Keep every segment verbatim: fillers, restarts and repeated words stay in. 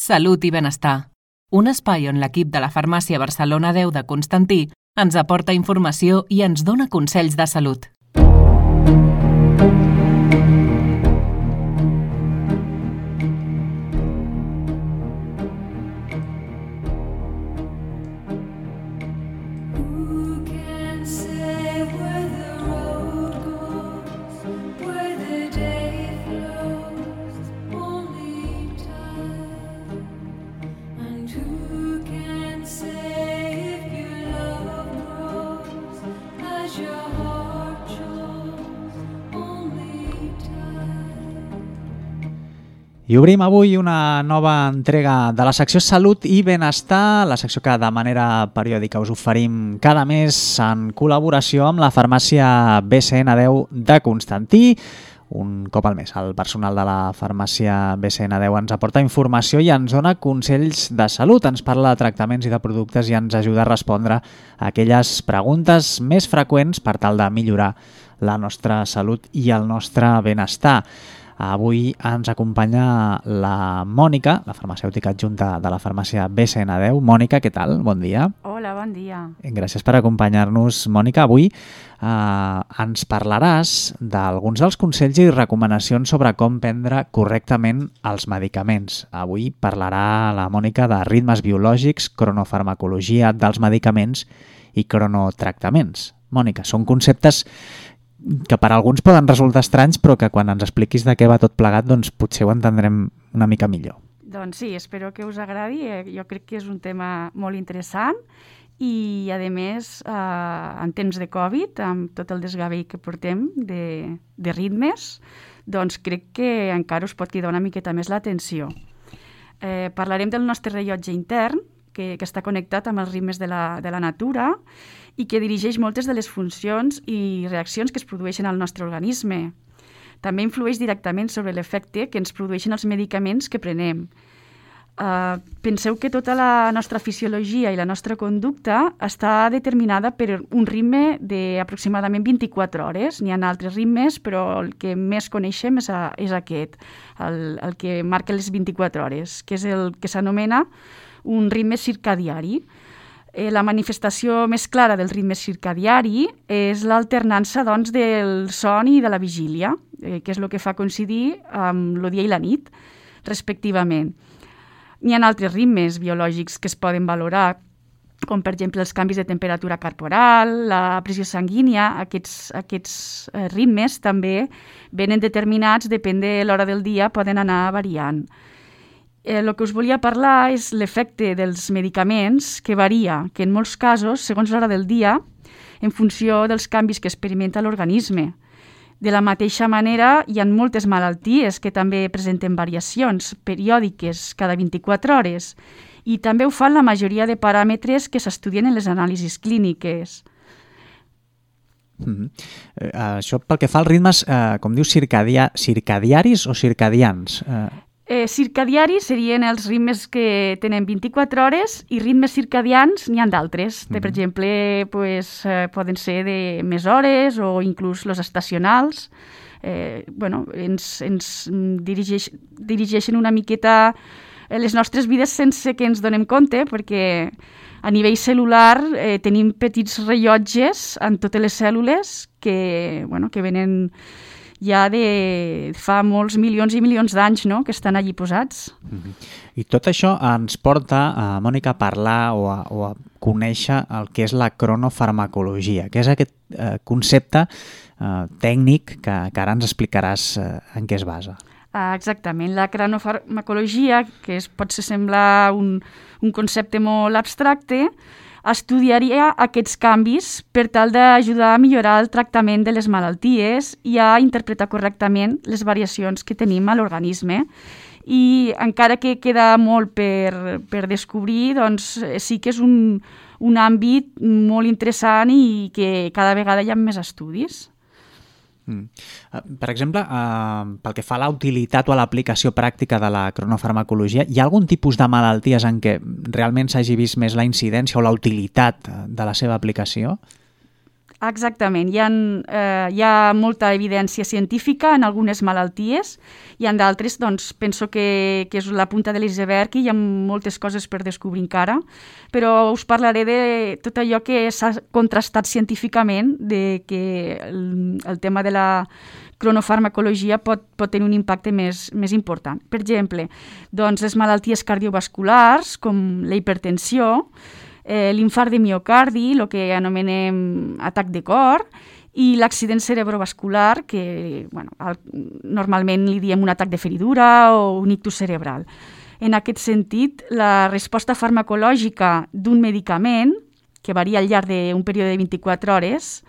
Salut i benestar. Un espai on l'equip de la Farmàcia Barcelona deu de Constantí ens aporta informació i ens dona consells de salut. I obrim avui una nova entrega de la secció Salut i Benestar, la secció que de manera periòdica us oferim cada mes en col·laboració amb la farmàcia B C N deu de Constantí. Un cop al mes el personal de la farmàcia B C N deu ens aporta informació i ens dona consells de salut, ens parla de tractaments i de productes i ens ajuda a respondre a aquelles preguntes més freqüents per tal de millorar la nostra salut i el nostre benestar. Avui ens acompanya la Mònica, la farmacèutica adjunta de la farmàcia B C N deu. Mònica, què tal? Bon dia. Hola, bon dia. Gràcies per acompanyar-nos, Mònica. Avui eh, ens parlaràs d'alguns dels consells i recomanacions sobre com prendre correctament els medicaments. Avui parlarà la Mònica de ritmes biològics, cronofarmacologia dels medicaments i cronotractaments. Mònica, són conceptes que per a alguns poden resultar estranys, però que quan ens expliquis de què va tot plegat, doncs potser ho entendrem una mica millor. Doncs sí, espero que us agradi. Jo crec que és un tema molt interessant i, a més, eh, en temps de Covid, amb tot el desgavell que portem de, de ritmes, doncs crec que encara us pot cridar una miqueta més l'atenció. Eh, parlarem del nostre rellotge intern, que, que està connectat amb els ritmes de la, de la natura i que dirigeix moltes de les funcions i reaccions que es produeixen al nostre organisme. També influeix directament sobre l'efecte que ens produeixen els medicaments que prenem. Uh, penseu que tota la nostra fisiologia i la nostra conducta està determinada per un ritme d'aproximadament vint-i-quatre hores. N'hi ha altres ritmes, però el que més coneixem és, a, és aquest, el, el que marca les vint-i-quatre hores, que és el que s'anomena un ritme circadiari. Eh, la manifestació més clara del ritme circadiari és l'alternança, doncs, del son i de la vigília, eh, que és el que fa coincidir amb el dia i la nit, respectivament. N'hi ha altres ritmes biològics que es poden valorar, com per exemple els canvis de temperatura corporal, la pressió sanguínia. Aquests, aquests eh, ritmes també venen determinats, depèn de l'hora del dia, poden anar variant. El eh, que us volia parlar és l'efecte dels medicaments, que varia, que en molts casos, segons l'hora del dia, en funció dels canvis que experimenta l'organisme. De la mateixa manera, hi ha moltes malalties que també presenten variacions periòdiques cada vint-i-quatre hores i també ho fan la majoria de paràmetres que s'estudien en les anàlisis clíniques. Mm-hmm. Eh, això pel que fa als ritmes, eh, com dius, circadia, circadiaris o circadians? Eh... Eh, circadiaris serien els ritmes que tenen vint-i-quatre hores i ritmes circadians n'hi ha d'altres. Mm-hmm. Per exemple, pues, eh, poden ser de més hores o inclús els estacionals. Eh, bueno, ens, ens dirigeix, dirigeixen una miqueta les nostres vides sense que ens donem compte, perquè a nivell cel·lular eh, tenim petits rellotges en totes les cèl·lules que, bueno, que venen ja de fa molts milions i milions d'anys, no?, que estan allí posats. Mm-hmm. I tot això ens porta, a Mònica, a parlar o a, o a conèixer el que és la cronofarmacologia, que és aquest eh, concepte eh, tècnic que, que ara ens explicaràs eh, en què es basa. Ah, exactament. La cronofarmacologia, que es, pot ser semblar un, un concepte molt abstracte, estudiaria aquests canvis per tal d'ajudar a millorar el tractament de les malalties i a interpretar correctament les variacions que tenim a l'organisme. I encara que queda molt per, per descobrir, doncs sí que és un, un àmbit molt interessant i que cada vegada hi ha més estudis. Mm. Per exemple, eh, pel que fa a la utilitat o a l'aplicació pràctica de la cronofarmacologia, hi ha algun tipus de malalties en què realment s'hagi vist més la incidència o la utilitat de la seva aplicació? Exactament. Hi ha, eh, hi ha molta evidència científica en algunes malalties i en d'altres, doncs, penso que, que és la punta de l'iceberg i hi ha moltes coses per descobrir encara, però us parlaré de tot allò que s'ha contrastat científicament, de que el, el tema de la cronofarmacologia pot, pot tenir un impacte més, més important. Per exemple, doncs, les malalties cardiovasculars, com la hipertensió, Eh, l'infart de miocardi, el que anomenem atac de cor, i l'accident cerebrovascular, que bueno, el, normalment li diem un atac de feridura o un ictus cerebral. En aquest sentit, la resposta farmacològica d'un medicament, que varia al llarg d'un període de vint-i-quatre hores,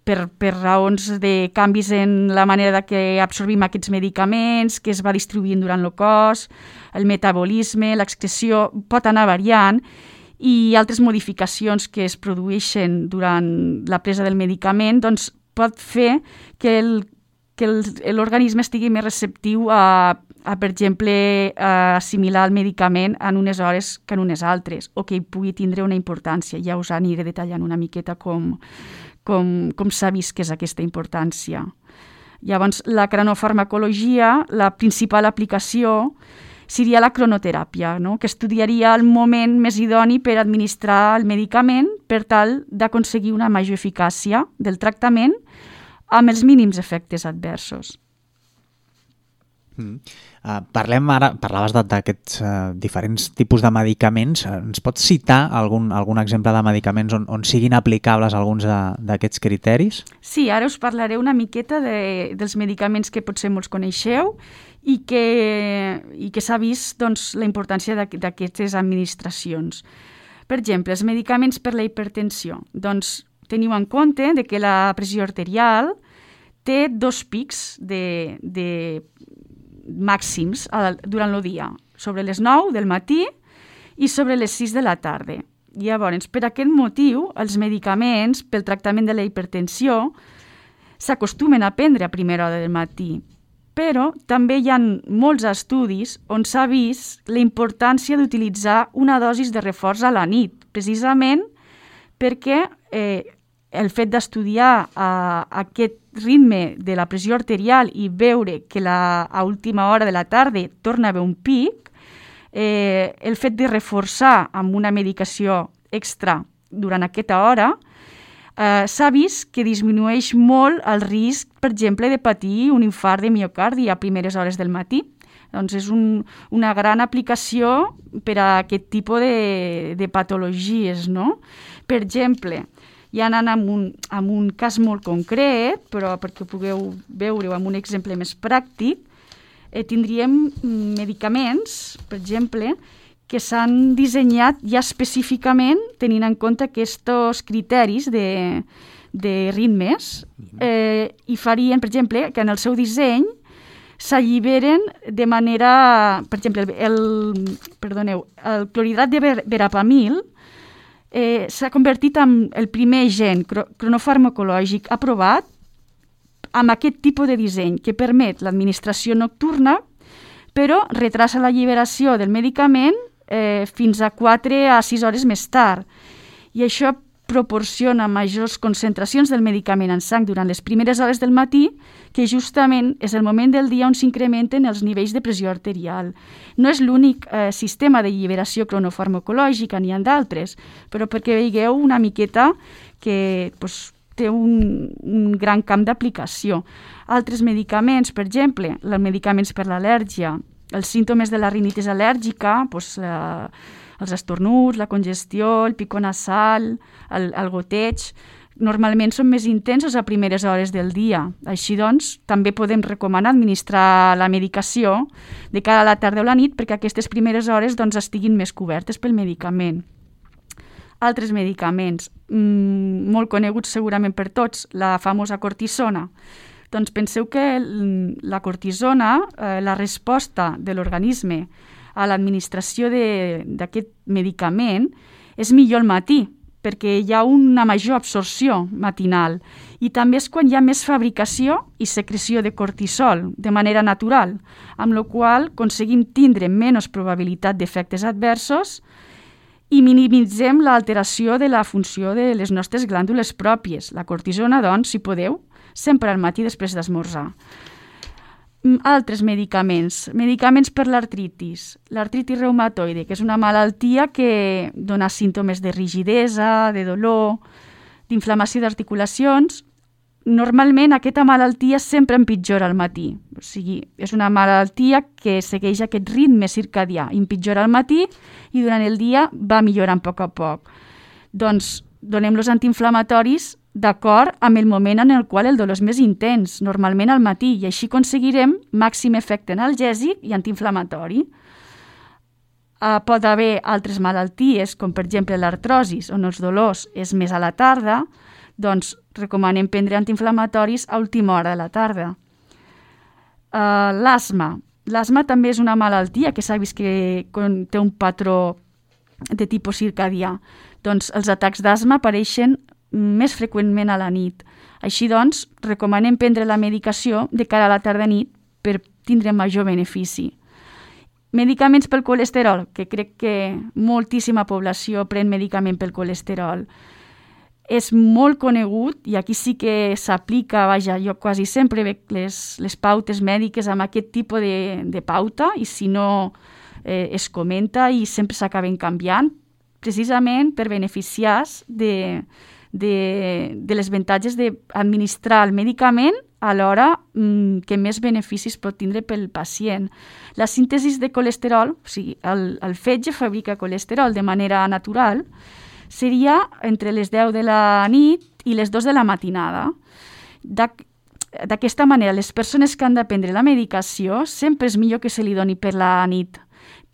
per, per raons de canvis en la manera que absorbim aquests medicaments, que es va distribuint durant el cos, el metabolisme, l'excreció, pot anar variant, i altres modificacions que es produeixen durant la presa del medicament, doncs pot fer que el, que l'organisme estigui més receptiu a, a, per exemple, a assimilar el medicament en unes hores que en unes altres, o que hi pugui tindre una importància. Ja us aniré detallant una miqueta com, com, com s'ha vist que és aquesta importància. Llavors, la cronofarmacologia, la principal aplicació seria la cronoteràpia, no? Que estudiaria el moment més idoni per administrar el medicament per tal d'aconseguir una major eficàcia del tractament amb els mínims efectes adversos. Mm. Uh, parlem ara, parlaves d'aquests uh, diferents tipus de medicaments. Uh, ens pots citar algun, algun exemple de medicaments on, on siguin aplicables alguns d'aquests criteris? Sí, ara us parlaré una miqueta de, dels medicaments que potser molts coneixeu i que, i que s'ha vist doncs, la importància d'aquestes administracions. Per exemple, els medicaments per la hipertensió. Doncs teniu en compte de que la pressió arterial té dos pics de, de màxims durant el dia, sobre les nou del matí i sobre les sis de la tarda. Llavors, per aquest motiu, els medicaments pel tractament de la hipertensió s'acostumen a prendre a primera hora del matí, però també hi ha molts estudis on s'ha vist la importància d'utilitzar una dosis de reforç a la nit, precisament perquè eh, el fet d'estudiar eh, aquest ritme de la pressió arterial i veure que la, a última hora de la tarda torna a haver un pic, eh, el fet de reforçar amb una medicació extra durant aquesta hora, eh, s'ha vist que disminueix molt el risc, per exemple, de patir un infart de miocardi a primeres hores del matí. Doncs és un, una gran aplicació per a aquest tipus de, de patologies, no? Per exemple, ja anant amb un, amb un cas molt concret, però perquè pugueu veure-ho amb un exemple més pràctic, eh, tindríem medicaments, per exemple, que s'han dissenyat ja específicament tenint en compte aquests criteris de, de ritmes eh, i farien, per exemple, que en el seu disseny s'alliberen de manera... Per exemple, el, perdoneu, el clorhidrat de verapamil eh, s'ha convertit en el primer gen cronofarmacològic aprovat amb aquest tipus de disseny que permet l'administració nocturna, però retrasa l'alliberació del medicament eh, fins a quatre a sis hores més tard. I això proporciona majors concentracions del medicament en sang durant les primeres hores del matí, que justament és el moment del dia on s'incrementen els nivells de pressió arterial. No és l'únic eh, sistema de lliberació cronofarmacològica, n'hi ha d'altres, però perquè veieu una miqueta que pues, té un, un gran camp d'aplicació. Altres medicaments, per exemple, els medicaments per l'al·lèrgia, els símptomes de la rinitis al·lèrgica, pues, eh, els estornuts, la congestió, el picor nasal, el, el goteig, normalment són més intensos a primeres hores del dia. Així doncs, també podem recomanar administrar la medicació de cara a la tarda o la nit perquè aquestes primeres hores doncs, estiguin més cobertes pel medicament. Altres medicaments, mmm, molt coneguts segurament per tots, la famosa cortisona. Doncs penseu que la cortisona, eh, la resposta de l'organisme a l'administració d'aquest medicament és millor al matí, perquè hi ha una major absorció matinal i també és quan hi ha més fabricació i secreció de cortisol de manera natural, amb la qual aconseguim tindre menys probabilitat d'efectes adversos i minimitzem l'alteració de la funció de les nostres glàndules pròpies. La cortisona, doncs, si podeu, sempre al matí després d'esmorzar. Altres medicaments. Medicaments per l'artritis. L'artritis reumatoide, que és una malaltia que dona símptomes de rigidesa, de dolor, d'inflamació d'articulacions. Normalment aquesta malaltia sempre empitjora al matí. O sigui, és una malaltia que segueix aquest ritme circadià. Empitjora al matí i durant el dia va millorant a poc a poc. Doncs donem los antiinflamatoris d'acord amb el moment en el qual el dolor és més intens, normalment al matí, i així aconseguirem màxim efecte analgèsic i antiinflamatori. Uh, pot haver altres malalties, com per exemple l'artrosis, on els dolors és més a la tarda, doncs recomanem prendre antiinflamatoris a última hora de la tarda. Uh, l'asma. L'asma també és una malaltia que s'ha vist que té un patró de tipus circadià. Doncs els atacs d'asma apareixen més freqüentment a la nit. Així doncs, recomanem prendre la medicació de cara a la tarda-nit per tindre major benefici. Medicaments pel colesterol, que crec que moltíssima població pren medicament pel colesterol. És molt conegut i aquí sí que s'aplica, vaja, jo quasi sempre veig les, les pautes mèdiques amb aquest tipus de, de pauta i si no eh, es comenta i sempre s'acaben canviant, precisament per beneficiar-se de De, de les avantatges d'administrar el medicament alhora mm, que més beneficis pot tindre pel pacient. La síntesi de colesterol, o sigui, el, el fetge fabrica colesterol de manera natural, seria entre les deu de la nit i les dues de la matinada. D'aquesta manera, les persones que han de prendre la medicació sempre és millor que se li doni per la nit,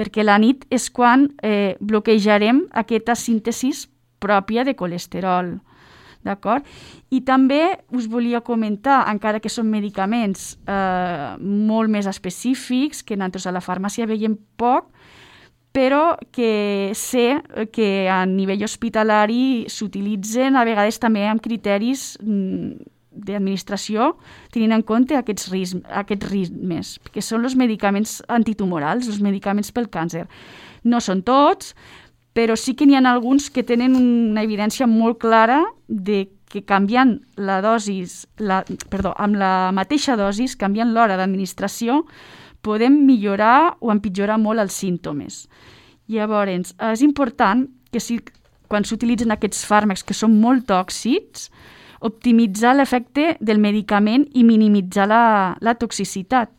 perquè la nit és quan eh, bloquejarem aquesta síntesi pròpia de colesterol. D'acord? I també us volia comentar, encara que són medicaments eh, molt més específics, que nosaltres a la farmàcia veiem poc, però que sé que a nivell hospitalari s'utilitzen a vegades també amb criteris d'administració, tenint en compte aquests, ritmes, aquests ritmes, que són els medicaments antitumorals, els medicaments pel càncer. No són tots, però sí que n'hi ha alguns que tenen una evidència molt clara de que canviant la dosis, la, perdó, amb la mateixa dosis, canviant l'hora d'administració, podem millorar o empitjorar molt els símptomes. Llavors, és important que si, quan s'utilitzen aquests fàrmacs que són molt tòxics, optimitzar l'efecte del medicament i minimitzar la, la toxicitat.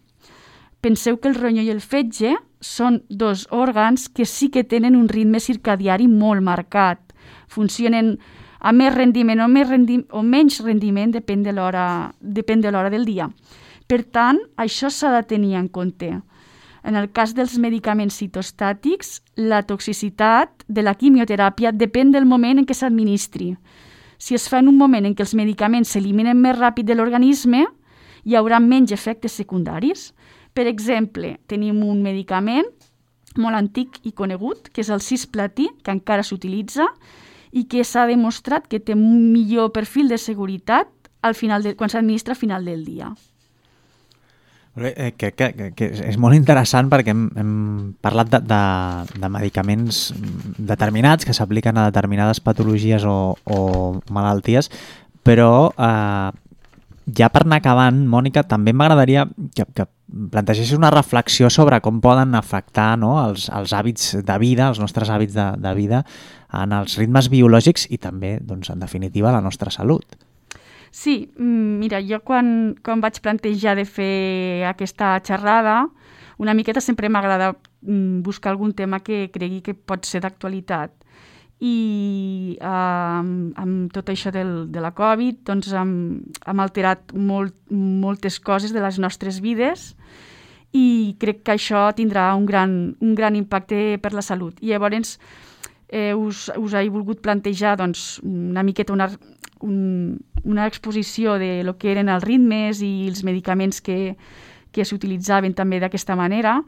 Penseu que el ronyó i el fetge són dos òrgans que sí que tenen un ritme circadiari molt marcat. Funcionen a més rendiment o, més rendi- o menys rendiment, depèn de l'hora depèn de l'hora del dia. Per tant, això s'ha de tenir en compte. En el cas dels medicaments citostàtics, la toxicitat de la quimioteràpia depèn del moment en què s'administri. Si es fa en un moment en què els medicaments s'eliminen més ràpid de l'organisme, hi haurà menys efectes secundaris. Per exemple, tenim un medicament molt antic i conegut, que és el cisplatí, que encara s'utilitza i que s'ha demostrat que té un millor perfil de seguretat al final de, quan s'administra al final del dia. Que, que, que, que és molt interessant perquè hem, hem parlat de, de, de medicaments determinats que s'apliquen a determinades patologies o, o malalties, però eh, ja per anar acabant, Mònica, també m'agradaria que, que plantegessis una reflexió sobre com poden afectar, no, els, els hàbits de vida, els nostres hàbits de, de vida en els ritmes biològics i també, doncs, en definitiva, la nostra salut. Sí, mira, jo quan, quan vaig plantejar de fer aquesta xerrada, una miqueta sempre m'agrada buscar algun tema que cregui que pot ser d'actualitat. I eh, amb, amb tot això del, de la Covid doncs hem, hem alterat molt, moltes coses de les nostres vides i crec que això tindrà un gran, un gran impacte per la salut. I llavors eh, us, us he volgut plantejar doncs, una miqueta una, un, una exposició de lo que eren els ritmes i els medicaments que, que s'utilitzaven també d'aquesta manera,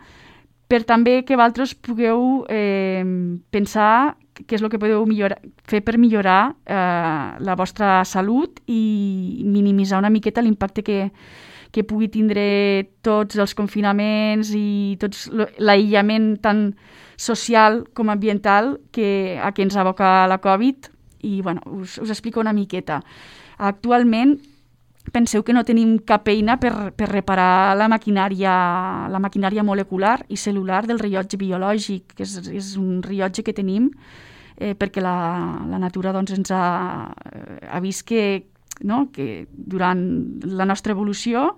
per també que vosaltres pugueu eh, pensar què és el que podeu millorar, fer per millorar eh, la vostra salut i minimitzar una miqueta l'impacte que, que pugui tindre tots els confinaments i tots l'aïllament tant social com ambiental que, a què ens aboca la Covid. I bueno, us, us explico una miqueta. Actualment, penseu que no tenim cap eina per, per reparar la maquinària, la maquinària molecular i cel·lular del rellotge biològic, que és, és un rellotge que tenim eh, perquè la, la natura doncs, ens ha, ha vist que, no, que durant la nostra evolució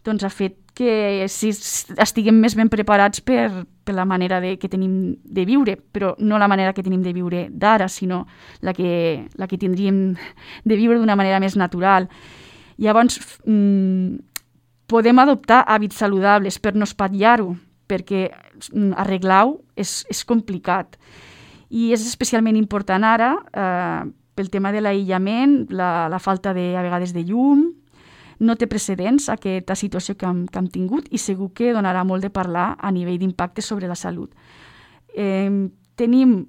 doncs, ha fet que si estiguem més ben preparats per, per la manera de, que tenim de viure, però no la manera que tenim de viure d'ara, sinó la que, la que tindríem de viure d'una manera més natural. Llavors, mmm, podem adoptar hàbits saludables per no espatllar-ho, perquè mm, arreglar-ho és, és complicat. I és especialment important ara eh, pel tema de l'aïllament, la, la falta de, a vegades de llum. No té precedents aquesta situació que hem, que hem tingut i segur que donarà molt de parlar a nivell d'impacte sobre la salut. Eh, tenim,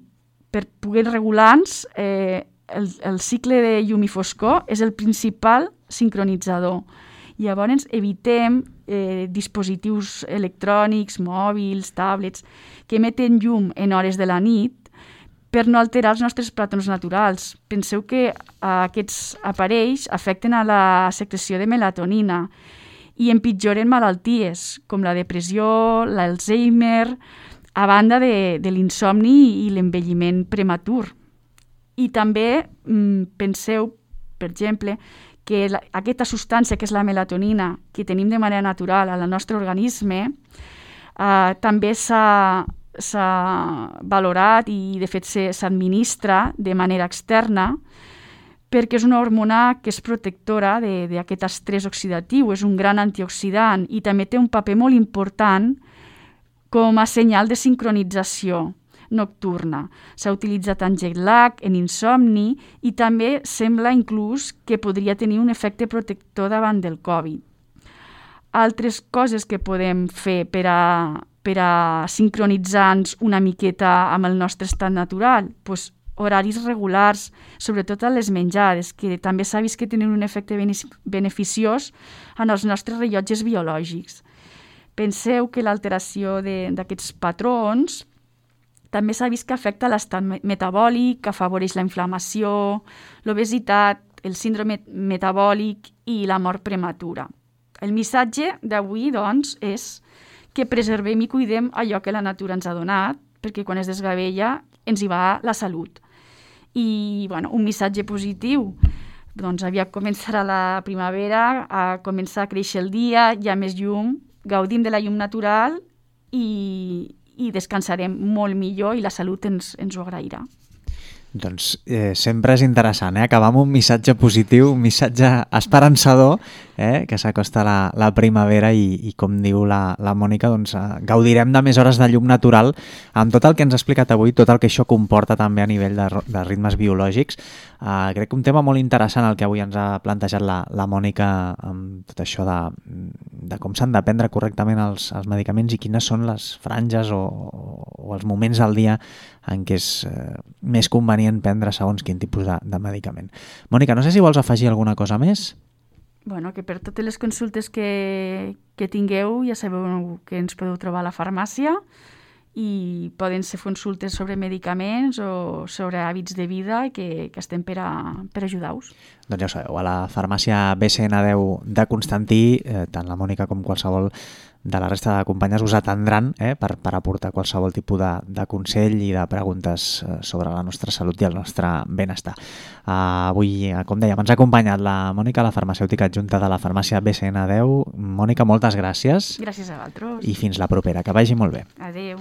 per poder regular-nos, eh, el, el cicle de llum i foscor és el principal sincronitzador. Llavors evitem eh, dispositius electrònics, mòbils, tablets, que emeten llum en hores de la nit per no alterar els nostres patrons naturals. Penseu que eh, aquests aparells afecten a la secreció de melatonina i empitjoren malalties com la depressió, l'Alzheimer, a banda de, de l'insomni i l'envelliment prematur. I també mm, penseu, per exemple, que la, aquesta substància que és la melatonina, que tenim de manera natural al nostre organisme, eh, també s'ha s'ha valorat i de fet s'administra de manera externa perquè és una hormona que és protectora d'aquest estrès oxidatiu, és un gran antioxidant i també té un paper molt important com a senyal de sincronització nocturna. S'ha utilitzat en jet lag, en insomni i també sembla inclús que podria tenir un efecte protector davant del Covid. Altres coses que podem fer per a per a sincronitzar-nos una miqueta amb el nostre estat natural, doncs horaris regulars, sobretot a les menjades, que també s'ha vist que tenen un efecte beneficiós en els nostres rellotges biològics. Penseu que l'alteració d'aquests patrons també s'ha vist que afecta l'estat metabòlic, que afavoreix la inflamació, l'obesitat, el síndrome metabòlic i la mort prematura. El missatge d'avui, doncs, és que preservem i cuidem allò que la natura ens ha donat, perquè quan es desgavella ens hi va la salut. I bueno, un missatge positiu, doncs aviat començarà la primavera, a començar a créixer el dia, hi ha més llum, gaudim de la llum natural i, i descansarem molt millor i la salut ens, ens ho agrairà. Doncs eh, sempre és interessant, eh? Acabar amb un missatge positiu, un missatge esperançador, eh? Que s'acosta la, la primavera i, i com diu la, la Mònica, doncs, eh, gaudirem de més hores de llum natural amb tot el que ens ha explicat avui, tot el que això comporta també a nivell de, de ritmes biològics. Eh, crec que un tema molt interessant el que avui ens ha plantejat la, la Mònica amb tot això de, de com s'han de prendre correctament els, els medicaments i quines són les franges o, o els moments del dia en què és eh, més convenient prendre segons quin tipus de, de medicament. Mònica, no sé si vols afegir alguna cosa més? Bueno, que per totes les consultes que, que tingueu ja sabeu que ens podeu trobar a la farmàcia i poden ser consultes sobre medicaments o sobre hàbits de vida que, que estem per, a, per ajudar-vos. Doncs ja ho sabeu, a la farmàcia B C N deu de Constantí, eh, tant la Mònica com qualsevol de la resta de companyes us atendran eh, per, per aportar qualsevol tipus de, de consell i de preguntes eh, sobre la nostra salut i el nostre benestar. Uh, avui, com dèiem, ens ha acompanyat la Mònica, la farmacèutica adjunta de la farmàcia B C N deu. Mònica, moltes gràcies. Gràcies a vosaltres. I fins la propera, que vagi molt bé. Adéu.